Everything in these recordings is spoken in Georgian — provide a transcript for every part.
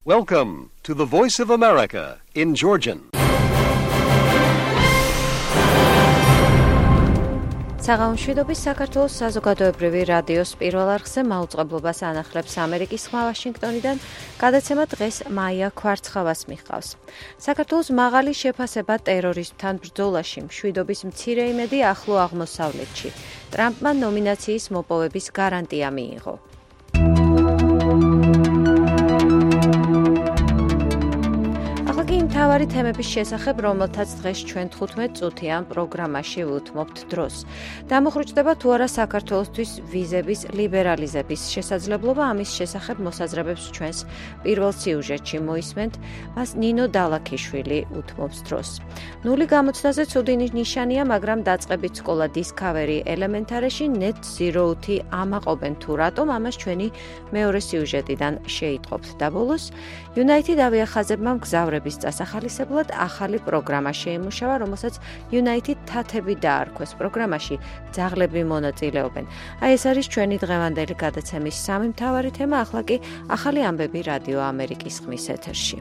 Welcome to the Voice of America in Georgian. საღამოშვიდობის საქართველოს საზოგადოებრივი რადიოს პირველ არხზე მაუწყებლობას ანახლებს ამერიკის ხმა ვაშინგტონიდან. გადაცემა დღეს მაია ქვარცხავას მიჰყავს. საქართველოს მაღალი შეფასება ტერორისტთან ბრძოლაში, მშვიდობის მცირე იმედი ახლო აღმოსავლეთში. ტრამპმა ნომინაციის მოპოვების გარანტია მიიღო. მთავარი თემების შესახებ, რომელთაც დღეს ჩვენ 15 წუთიან პროგრამაში ვუთმობთ დროს. დამოხრუჭდება თუ არა საქართველოსთვის ვიზების ლიბერალიზების შესაძლებლობა, ამის შესახებ მოსაზრებებს ჩვენს პირველ სიუჟეტში მოისმენთ, მას ნინო დალაქიშვილი უთმობს დროს. ნული გამოცდაზე ცუდი ნიშანია, მაგრამ დაწყებით სკოლა Discovery Elementary-ში Net Zero-ი ამაყობენ თუ რატომ, ამას ჩვენი მეორე სიუჟეტიდან შეიტყობთ და ბოლოს United ავიახაზებმა მგზავრების დასახალისებლად ახალი პროგრამა შეიმუშავა, რომელსაც United თათები დაარქვეს. პროგრამაში ძაღლები მონაწილეობენ. აი ეს არის ჩვენი დღევანდელი გადაცემის სამი მთავარი თემა, ახლა კი ახალი ამბები რადიო ამერიკის ხმის ეთერში.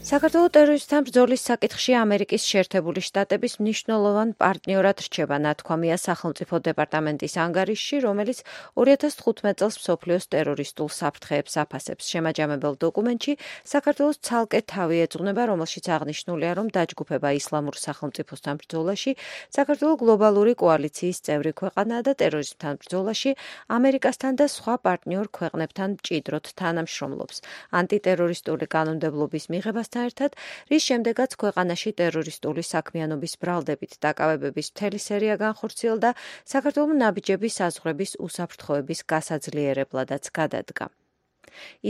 საქართველოს ტერორისტთან ბრძოლის საკითხში ამერიკის შეერთებული შტატების მნიშვნელოვან პარტნიორად რჩება ნათქვამია სახელმწიფო დეპარტამენტის ანგარიშში, რომელიც 2015 წელს მსოფლიოს ტერორისტულ საფრთხეებს აფასებს. შემაჯამებელ დოკუმენტში საქართველოს ცალკე თავი ეძღვნება, რომელშიც აღნიშნულია, რომ დაჯგუფება ისლამურ სახელმწიფოსთან ბრძოლაში საქართველოს გლობალური კოალიციის წევრი ქვეყანაა და ტერორიზმთან ბრძოლაში ამერიკასთან და სხვა პარტნიორ ქვეყნებთან მჭიდროდ თანამშრომლობს. ანტიტერორისტული კანონმდებლობის მიღებას ერთად, რის შემდეგაც ქვეყანაში ტერორისტული საქმიანობის ბრალდებით დაკავებების მთელი სერია განხორციელდა, საქართველოს ნაბიჯების საზღვრების უსაფრთხოების გასაძლიერებლადაც გადადგა.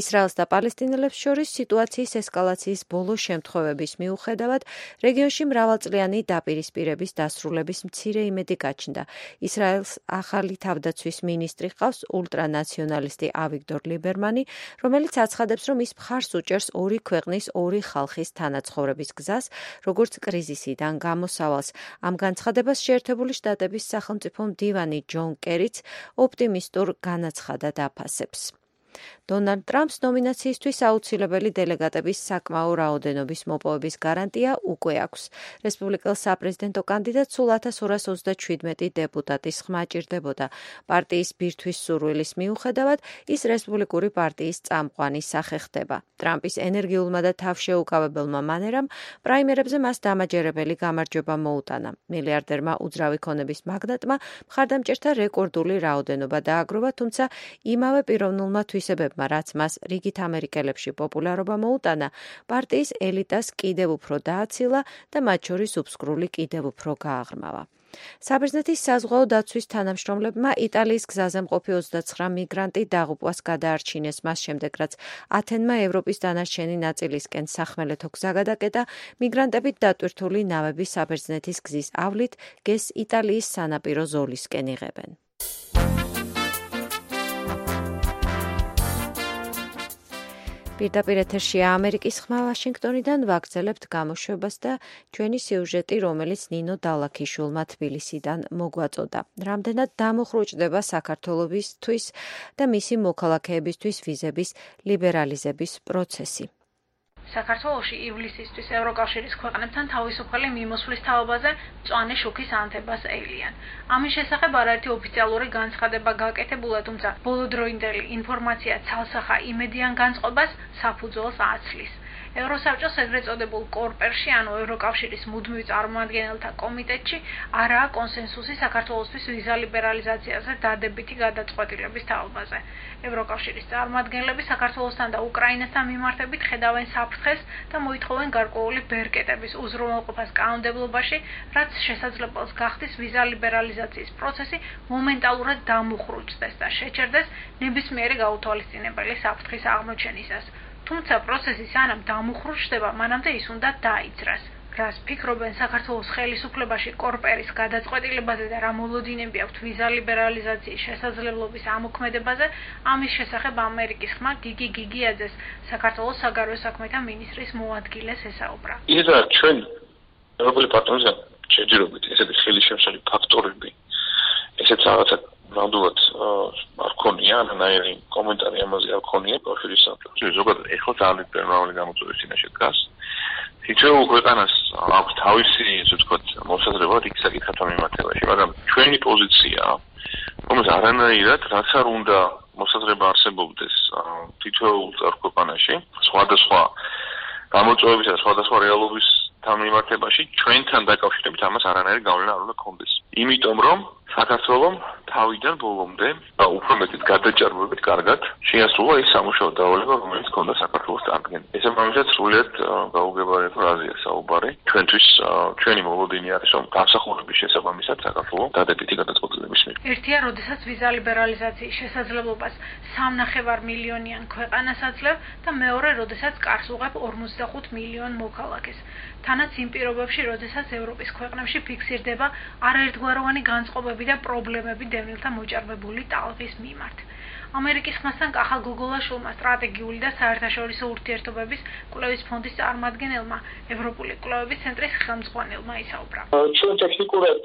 ისრაელს და პალესტინელებს შორის სიტუაციის ესკალაციის ბოლო შემთხვევების მიუხედავად, რეგიონში მრავალწლიანი დაპირისპირების დასრულების მცირე იმედი გაჩნდა. ისრაელს ახალი თავდაცვის მინისტრი ჰყავს, ულტრანაციონალისტი ავიგდორ ლიბერმანი, რომელიც აცხადებს, რომ ის მხარს უჭერს ორი ქვეყნის, ორი ხალხის თანაცხოვრების გზას, როგორც კრიზისიდან გამოსავალს. ამ განცხადებას შეერთებული შტატების სახელმწიფო მდივანი ჯონ კერიც ოპტიმისტურ განაცხადად აფასებს. დონალდ ტრამპს ნომინაციისთვის აუცილებელი დელეგატების საკმაო რაოდენობის მოპოვების გარანტია უკვე აქვს. რესპუბლიკელ საპრეზიდენტო კანდიდატს სულ 1227 დეპუტატის ხმა ჭირდებოდა. პარტიის ბირთვის სურვილის მიუხედავად, ის რესპუბლიკური პარტიის წამყვანი სახე ხდება. ტრამპის ენერგიულმა და თავშეუკავებელმა მანერამ პრაიმერებზე მას დამაჯერებელი გამარჯვება მოუტანა. მილიარდერმა უძრავი ქონების მაგნატმა მხარდამჭერთა რეკორდული რაოდენობა დააგროვა, თუმცა იმავე პიროვნულმა თვისებებმა, რაც მას რიგით ამერიკელებში პოპულარობა მოუტანა, პარტიის ელიტას კიდევ უფრო დააცილა და მათ შორის უბსკრული კიდევ უფრო გააღრმავა. საბერძნეთის საზღვაო დაცვის თანამშრომლებმა იტალიის გზაზე მყოფი 29 მიგრანტი დაღუპვას გადაარჩინეს, მას შემდეგ, რაც ათენმა ევროპის დანარჩენი ნაწილისკენ სახმელეთო გზა გადაკეტა, მიგრანტებით დატვირთული ნავები საბერძნეთის გზის ავლით გეს იტალიის სანაპირო ზოლისკენ იღებენ. პირდაპირ ეთერშია ამერიკის ხმა ვაშინგტონიდან, ვაგრძელებთ გამოშვებას და ჩვენი სიუჟეტი, რომელიც ნინო დალაქიშვილმა თბილისიდან მოგვაწოდა. რამდენად დამოხრუჭდება საქართველოსთვის და მისი მოქალაქეებისთვის ვიზების ლიბერალიზების პროცესი. საქართველოში ივლისისთვის ევროკავშირის ქვეყნებთან თავისუფალი მიმოსვლის თაობაზე მწვანე შუქის ანთებას ევლიან. ამის შესახებ არაერთი ოფიციალური განცხადება გაკეთებულა, თუმცა ბოლოდროინდელი ინფორმაცია ცალსახა იმედიან განწყობას საფუძველს აცლის. ევროსაბჭოს ეგრეთ წოდებულ კორპერში, ანუ ევროკავშირის მუდმივ წარმომადგენელთა კომიტეტში, არაა კონსენსუსი საქართველოსთვის ვიზა ლიბერალიზაციაზე დადებითი გადაწყვეტილების თაობაზე. ევროკავშირის წარმომადგენლები საქართველოსთან და უკრაინასთან მიმართებით ხედავენ საფრთხეს და მოითხოვენ გარკვეული ბერკეტების უზრუნველყოფას კანონმდებლობაში, რაც შესაძლებელს გახდის ვიზა ლიბერალიზაციის პროცესი მომენტალურად დამუხრუჭდეს და შეჩერდეს ნებისმიერი გაუთვალისწინებელი საფრთხის აღმოჩენისას. თუმცა პროცესი სანამ დამუხრუჭდება, მანამდე ის უნდა დაიძრას. რას ფიქრობენ საქართველოს ხელისუფლებაში კორპერის გადაწყვეტილებაზე და რა მოლოდინები აქვთ ვიზა ლიბერალიზაციის შესაძლებლობის ამოქმედებაზე, ამის შესახებ ამერიკის ხმა გიგი გიგიაძეს, საქართველოს საგარეო საქმეთა მინისტრის მოადგილეს ესაუბრა. ისა ჩვენ ევროპული პარტნიორებთან შეჯერებით ესეთი ხელისშემშალი ფაქტორები, ესეც რაღაცა ნამდვილად არ ქონია არანაირი კომენტარი ამაზე არ ქონია კავშირის საბჭოში. ზოგადად ეხლა ძალიან პერმავალი გამოწვევის წინაშე დგას. თითოეულ ქვეყანას აქვს თავისი, ასე ვთქვათ, მოსაზრება იქ საკითხებთან მიმართებაში, მაგრამ ჩვენი პოზიცია, რომელიც არანაირად რაც არ უნდა მოსაზრება არსებობდეს თითოეულ ქვეყანაში, სხვადასხვა გამოწვევებისა და სხვადასხვა რეალობის მიმართებაში ჩვენთან დაკავშირებით ამას არანაირი გავლენა არ უნდა ქონდეს. იმიტომ რომ საქართველოს თავიდან ბოლომდე და უფრო მეტად გადაჭარბებით კარგად შეასრულა ის სამუშაო დავალება, რომელიც ჰქონდა საქართველოს წარდგენა. ეს ამჟამად სრულიად გაუგებარია აზია საუბარი. ჩვენთვის ჩვენი მოლოდინი არის რომ განსახურების შესაბამისად საქართველოს დადებითი გადაწყვეტილების მიიღო. ერთია, როდესაც ვიზა ლიბერალიზაციის შესაძლებლობას 3.5 მილიონიან ქვეყანას აძლევ და მეორე, როდესაც კარს უღებ 55 მილიონ მოქალაქეს. თანაც იმ პირობებში, როდესაც ევროპის ქვეყნებში ფიქსირდება არაერთგვაროვანი განწყობები და პრობლემები დევნილთა მოჭარბებული ტალღის მიმართ. ამერიკის ხმასთან კახა გოგოლაშვილმა სტრატეგიული და საერთაშორისო ურთიერთობების კვლევის ფონდის წარმომადგენელმა, ევროპული კვლევების ცენტრის ხელმძღვანელმა ისაუბრა. ჩვენ ტექნიკურად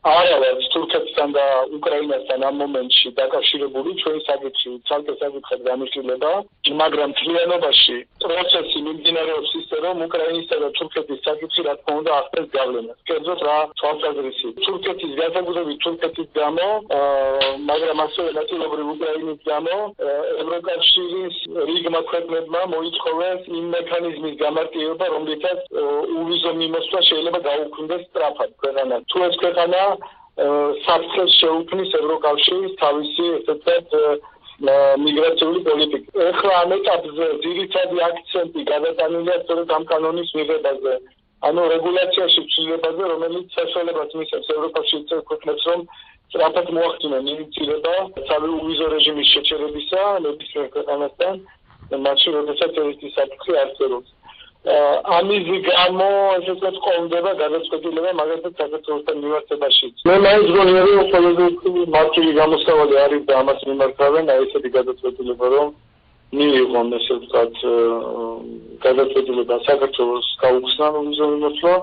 არა ვართ თურქეთთან და უკრაინასთან ამ მომენტში დაკავშირებული, ჩვენი საკითხი ცალკე საკითხად გამიშლება, მაგრამ მთლიანობაში პროცესი მიმდინარეობს ისე, რომ უკრაინისა და თურქეთის საკითხი რა თქმა უნდა ახდენს გავლენას. კერძოდ რა თვალსაზრისით, თურქეთის განსაკუთრებით თურქეთის გამო, მაგრამ ასევე ნაწილობრივ უკრაინის გამო, ევროკავშირის რიგმა ქვეყნებმა მოითხოვეს იმ მექანიზმის გამარტივება, რომლითაც უვიზო მიმოსვლა შეიძლება გაუქმდეს სწრაფად ქვეყანას. თუ ეს ქვეყანა საფრთხეს შეუქმნის ევროკავშირის თავისი ესეთ მიგრაციული პოლიტიკა. ეხლა ამ ეტაპზე ძირითადი აქცენტი გადატანილია სწორედ ამ კანონის მიღებაზე. ანუ რეგულაციაში ცვლილებაზე, რომელიც საშუალებას მისცემს ევროკავშირის ქვეყნებს, რომ სწრაფად მოახდინონ ინიციირება თავი უვიზო რეჟიმის შეჩერებისა ნებისმიერ ქვეყანასთან, მაშინ როდესაც ეს საფრთხე არსებობს. ამის გამო ესე ვთქვათ ყოლდება გადაწყვეტილება მაგალითად საქართველოსთან მიმართებაში. მე მაინც გონია რომ ყველაზე მარტივი გამოსავალი არის და ამას მიმართავენ აი ესეთი გადაწყვეტილება რომ მიიღონ ესე ვთქვათ გადაწყვეტილება საქართველოს გაუხსნა ვიზო მიმოსვლა,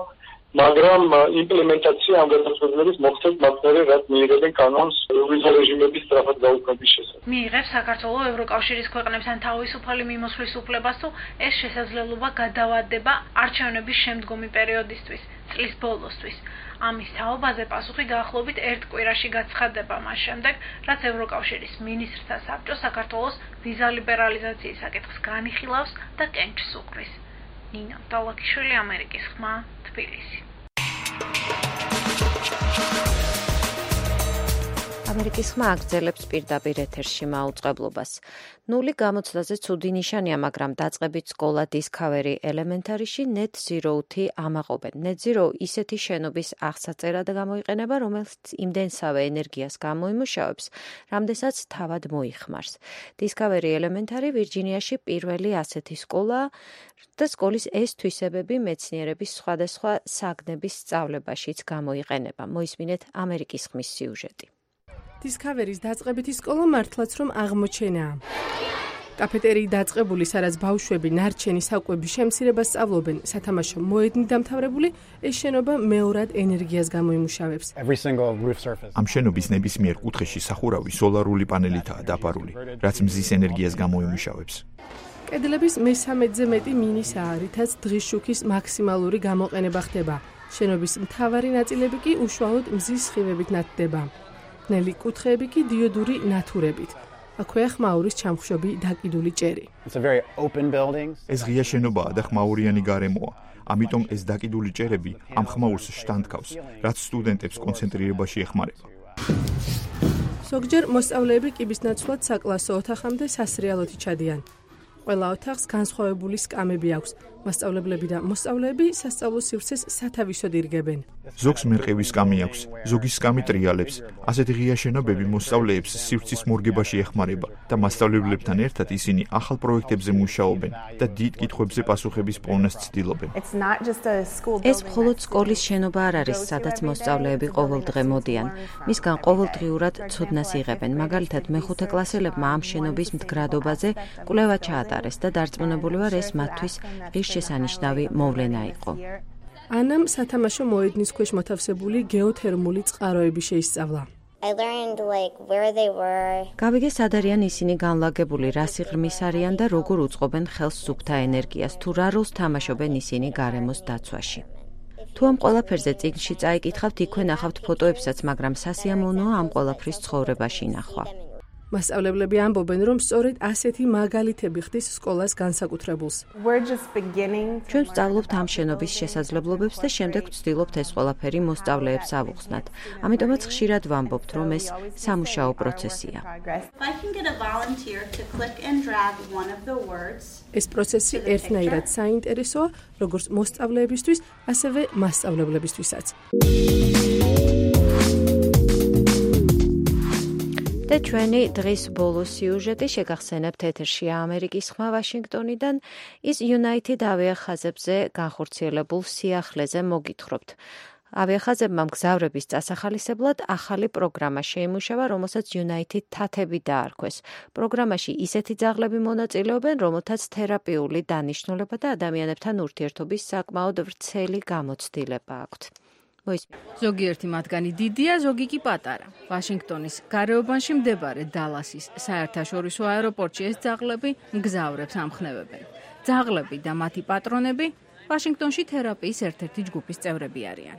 მაგრამ იმპლემენტაცია ამ გადაწყვეტილების მოხდეს მაგალითად რაც მიიღებენ კანონს ვიზა რეჟიმების სწრაფად გაუქმების შესახებ. მიიღებს საქართველოს ევროკავშირის ქვეყნებთან თავისუფალი მიმოსვლის უფლებას თუ ეს შესაძლებლობა გადავადდება არჩევნების შემდგომი პერიოდისთვის, წლის ბოლოსთვის. ამის თაობაზე პასუხი დაახლოებით ერთ კვირაში გაცხადდება მას შემდეგ, რაც ევროკავშირის მინისტრთა საბჭო საქართველოს ვიზა ლიბერალიზაციის საკითხს განიხილავს და კენჭს უყრის. ნინო დალაკიშვილი, ამერიკის ხმა, თბილისი. ამერიკის ხმა აგრძელებს პირდაპირ ეთერში მაუწყებლობას. ნული გამოცდაზე ცუდი ნიშანია, მაგრამ დაწყებით სკოლა Discovery Elementaryში Net Zero-ი ამაყობენ. Net Zero ისეთი შენობის აღსაწერად გამოიყენება, რომელიც იმდენსავე ენერგიას გამოიმუშავებს, რამდენსაც თავად მოიხმარს. Discovery Elementary ვირჯინიაში პირველი ასეთი სკოლაა და სკოლის ეს თვისებები მეცნიერების სხვადასხვა საგნების სწავლებაშიც გამოიყენება. მოისმინეთ ამერიკის ხმის სიუჟეტი. Discovery-ის დაწყებითი სკოლა მართლაც რომ აღმოჩენაა. კაფეტერიის დაწყებული, სადაც ბავშვები ნარჩენი საკვების შემცირებას სწავლობენ, სათამაშო მოედნით დამთავრებული, ეს შენობა მეორად ენერგიას გამოიმუშავებს. ამ შენობის ნებისმიერ კუთხეში სახურავი სოლარული პანელითაა დაფარული, რაც მზის ენერგიას გამოიმუშავებს. კედლების მესამედზე მეტი მინისაა, რითაც დღის შუქის მაქსიმალური გამოყენება ხდება. შენობის მთავარი ნაწილები კი უშუალოდ მზის სხივებით ნათდება. ნელი კუთხეები კი დიოდური ნათურებით. აქვეა ხმაურის ჩამხშობი დაკიდული ჭერი. ეს ღია შენობაა და ხმაურიანი გარემოა. ამიტომ ეს დაკიდული ჭერები ამ ხმაურს შტანდქავს, რაც სტუდენტებს კონცენტრირებაში ეხმარება. ზოგჯერ მოსწავლეები კიბის ნაცვლად საკლასო ოთახამდე სასრიალოთი ჩადიან. ყველა ოთახს განსხვავებული სკამები აქვს. მასწავლებლები და მოსწავლეები სასწავლო სივრცეს სათავისოდ ირგებენ. ზოგს მერყევი სკამი აქვს, ზოგის სკამი ტრიალებს. ასეთი ღია შენობები მოსწავლეებს სივრცის მორგებაში ეხმარება და მასწავლებლებთან ერთად ისინი ახალ პროექტებზე მუშაობენ და დიდ კითხვებზე პასუხების პოვნას ცდილობენ. ეს მხოლოდ სკოლის შენობა არ არის, სადაც მოსწავლეები ყოველდღე მოდიან. მისგან ყოველდღიურად ცოდნას იღებენ. მაგალითად, მეხუთე კლასელებმა ამ შენობის მდგრადობაზე კვლევა ჩაატარეს და დარწმუნებული ვარ, ეს მათთვის შესანიშნავი მოვლენა იყო. ანამ სათამაშო მოედნის ქვეშ მოთავსებული გეოთერმული წყაროები შეისწავლა. I learned where they were. გავიგე სად არიან ისინი განლაგებული, რა სიღრმის არიან და როგორ უწყობენ ხელს სუფთა ენერგიას, თუ რა როლს თამაშობენ ისინი გარემოს დაცვაში. თუ ამ ყველაფერზე წიგნში წაიკითხავთ, იქვე ნახავთ ფოტოებსაც, მაგრამ სასიამოვნოა ამ ყველაფრის ცხოვრებაში ნახვა. მასწავლებლები ამბობენ, რომ სწორედ ასეთი მაგალითები ხდის სკოლას განსაკუთრებულს. ჩვენ ვსწავლობთ ამ შენობის შესაძლებლობებს და შემდეგ ვცდილობთ ეს ყველაფერი მოსწავლეებს ავუხსნათ. ამიტომაც ხშირად ვამბობთ, რომ ეს სამუშაო პროცესია. ეს პროცესი ერთნაირად საინტერესოა, როგორც მოსწავლეებისთვის, ასევე მასწავლებლებისთვისაც. და ჩვენი დღის ბოლო სიუჟეტი შეგახსენებთ ეთერში ამერიკის ხმა ვაშინგტონიდან ის United ავიახაზებზე განხორციელებულ სიახლეზე მოგითხრობთ. ავიახაზებმა მგზავრების წასახალისებლად ახალი პროგრამა შეიმუშავა, რომელსაც United თათები დაარქვეს. პროგრამაში ისეთი ძაღლები მონაწილეობენ, რომელთაც თერაპიული დანიშნულება და ადამიანებთან ურთიერთობის საკმაოდ ვრცელი გამოცდილება აქვთ. ზოგიერთი მათგანი დიდია, ზოგი კი პატარა. ვაშინგტონის გარეუბანში მდებარე დალასის საერთაშორისო აეროპორტში ეს ძაღლები მგზავრებს ამხნევებენ. ძაღლები და მათი პატრონები ვაშინგტონში თერაპიის ერთ-ერთი ჯგუფის წევრები არიან.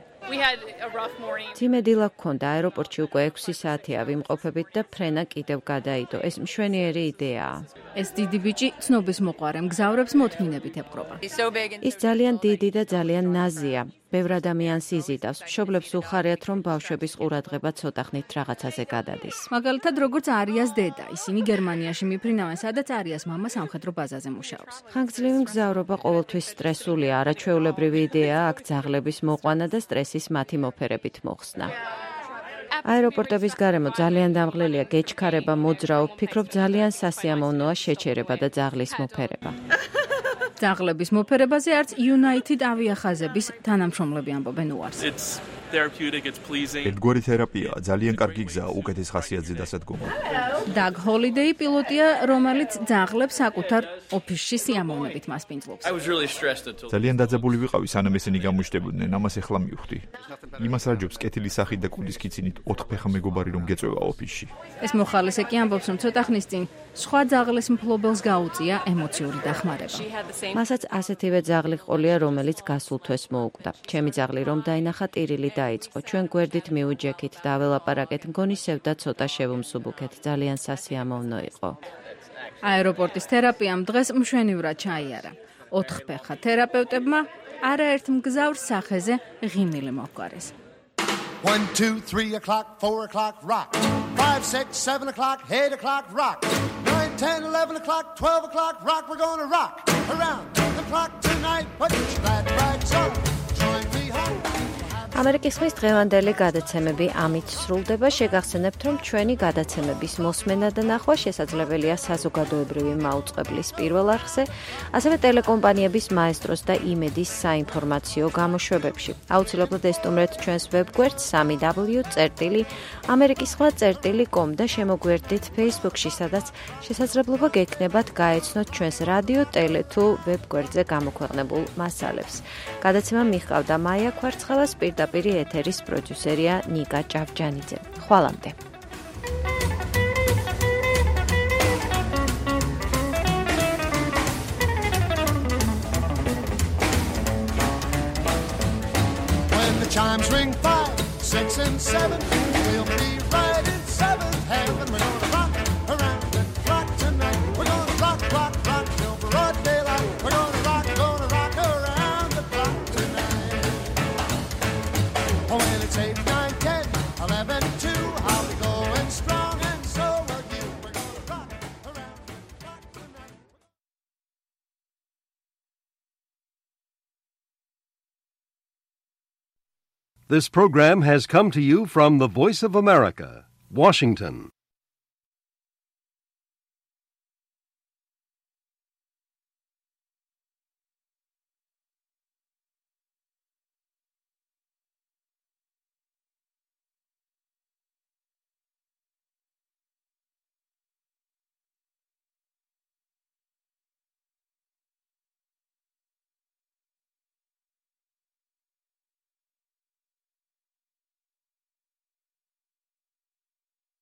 ძიმე დილა გქონდა, აეროპორტში უკვე 6 საათია ვიმყოფებით და ფრენა კიდევ გადაიდო. ეს მშვენიერი იდეაა. ეს დიდი ბიჭი ცნობის მოყვარე მგზავრებს მოთმინებით ეპყრობა. ის ძალიან დიდი და ძალიან ნაზია. ბევრ ადამიანს იზიდავს. მშობლებს უხარიათ, რომ ბავშვების ყურადღება ცოტა ხნით რაღაცაზე გადადის. მაგალითად, როგორც არიას დედა, ისინი გერმანიაში მიფრინავენ, სადაც არიას მამა სამხედრო ბაზაზე მუშაობს. ხანგრძლივი მგზავრობა ყოველთვის სტრესულია, არაჩვეულებრივი იდეაა აქ ძაღლების მოყვანა და სტრესის მათი მოფერებით მოხსნა. აეროპორტების გარემო ძალიან დამღლელია, გეჩქარება, მოძრაობ, ვფიქრობ ძალიან სასიამოვნოა შეჩერება და ძაღლის მოფერება. ძაღლების მოფერებაზე არც United ავიახაზების თანამშრომლები ამბობენ უარს. ერთგვარი თერაპიაა, ძალიან კარგი გზაა უკეთეს ხასიათზე დასადგომად. Doug Holiday პილოტია, რომელიც ძაღლებს საკუთარ ოფისში სიამოვნებით მასპინძლობს. ძალიან დაძაბული ვიყავი, სანამ ესენი გამოჩნდებოდნენ, ამას ეხლა მივხვდი. იმას რა ჯობს კეთილი სახით და კუდის კიცინით 4 ფეხა მეგობარი რომ გეწევა ოფისში. ეს მოხალისე კი ამბობს, რომ ცოტა ხნის წინ სხვა ძაღლის მფლობელს გაუწია ემოციური დახმარება. მასაც ასეთივე ძაღლი ყოლია, რომელიც გასულ თვეს მოუკვდა. ჩემი ძაღლი რომ დაინახა, ტირილი დაიწყო. ჩვენ გვერდით მიუჯექით და ველაპარაკეთ, მგონი სევდა ცოტა შევუმსუბუქეთ. ძალიან სასიამოვნო იყო. აეროპორტის თერაპიამ დღეს მშვენივრად ჩაიარა. 4 ფეხა თერაპევტებმა არაერთ მგზავრს სახეზე ღიმილი მოჰგვარეს. 1, 2, 3 o'clock, 4 o'clock, rock. 5, 6, 7 o'clock, 8 o'clock, rock. 9, 10, 11 o'clock, 12 o'clock, rock. We're gonna rock around the clock tonight. Put your glad rags on. Join me home. ამერიკის ხმის დღევანდელი გადაცემები ამით სრულდება. შეგახსენებთ, რომ ჩვენი გადაცემების მოსმენა და ნახვა შესაძლებელია საზოგადოებრივი მაუწყებლის პირველ არხზე, ასევე ტელეკომპანიების მაესტროს და იმედის საინფორმაციო გამოშვებებში. აუცილებლად ესტუმრეთ ჩვენს ვებგვერდს www.amerikiskhma.com და შემოგვერდით Facebook-ში, სადაც შესაძლებლობა გექნებათ გაეცნოთ ჩვენს რადიო, ტელე თუ ვებგვერდზე გამოქვეყნებულ მასალებს. გადაცემა მიჰყავდა მაია კვარცხელას, პირდაპირ ეთერის პროდიუსერია ნიკა ჭავჭანიძე. ხვალამდე. When the chimes ring 5, 6 and 7, we'll be right in 7th heaven. We're gonna rock around the clock tonight. We're gonna rock, rock, rock till broad daylight. We're gonna rock around the clock tonight. Oh, when it's 8, 9, 10, 11, 2, I'll be going strong and so will you. We're gonna rock around the clock tonight. This program has come to you from the Voice of America, Washington.